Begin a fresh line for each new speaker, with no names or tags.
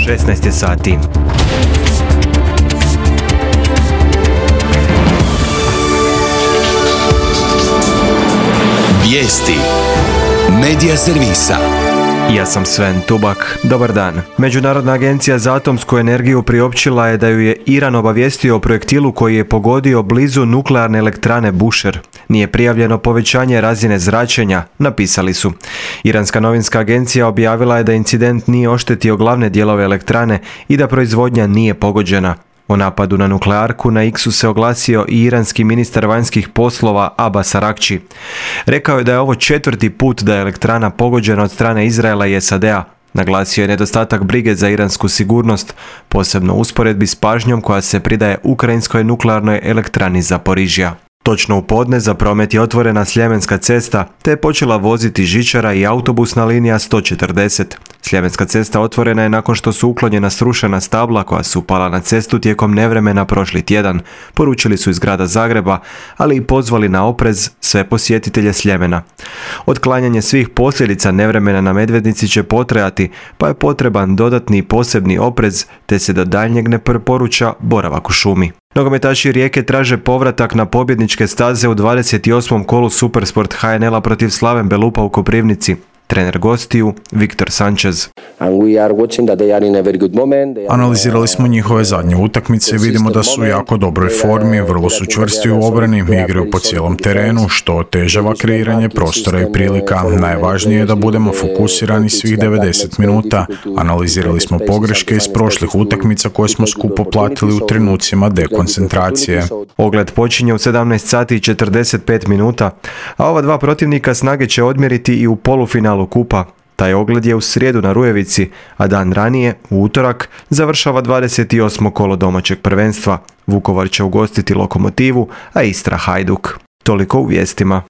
16 je sati.
Vijesti Medija servisa.
Ja sam Sven Tubak. Dobar dan. Međunarodna agencija za atomsku energiju priopćila je da ju je Iran obavijestio o projektilu koji je pogodio blizu nuklearne elektrane Bushehr. Nije prijavljeno povećanje razine zračenja, napisali su. Iranska novinska agencija objavila je da incident nije oštetio glavne dijelove elektrane i da proizvodnja nije pogođena. O napadu na nuklearku na X-u se oglasio i iranski ministar vanjskih poslova Abbas Araghchi. Rekao je da je ovo 4. put da je elektrana pogođena od strane Izraela i SAD-a. Naglasio je nedostatak brige za iransku sigurnost, posebno u usporedbi s pažnjom koja se pridaje ukrajinskoj nuklearnoj elektrani Zaporižja. Točno u podne za promet je otvorena Sljemenska cesta, te je počela voziti žičara i autobusna linija 140. Sljemenska cesta otvorena je nakon što su uklonjena srušena stabla koja su pala na cestu tijekom nevremena prošli tjedan, poručili su iz grada Zagreba, ali i pozvali na oprez sve posjetitelje Sljemena. Otklanjanje svih posljedica nevremena na Medvednici će potrajati, pa je potreban dodatni posebni oprez, te se do daljnjeg ne preporuča boravak u šumi. Nogometaši Rijeke traže povratak na pobjedničke staze u 28. kolu Supersport HNL-a protiv Slaven Belupa u Koprivnici. Trener gostiju Viktor Sanchez.
Analizirali smo njihove zadnje utakmice i vidimo da su u jako dobroj formi, vrlo su čvrsti u obrani, igraju po cijelom terenu, što otežava kreiranje prostora i prilika. Najvažnije je da budemo fokusirani svih 90 minuta. Analizirali smo pogreške iz prošlih utakmica koje smo skupo platili u trenucima dekoncentracije.
Ogled počinje u 17 sati i 45 minuta, a ova dva protivnika snage će odmjeriti i u polufinalu kupa. Taj ogled je u srijedu na Rujevici, a dan ranije, u utorak, završava 28. kolo domaćeg prvenstva. Vukovar će ugostiti Lokomotivu, a Istra Hajduk. Toliko u vijestima.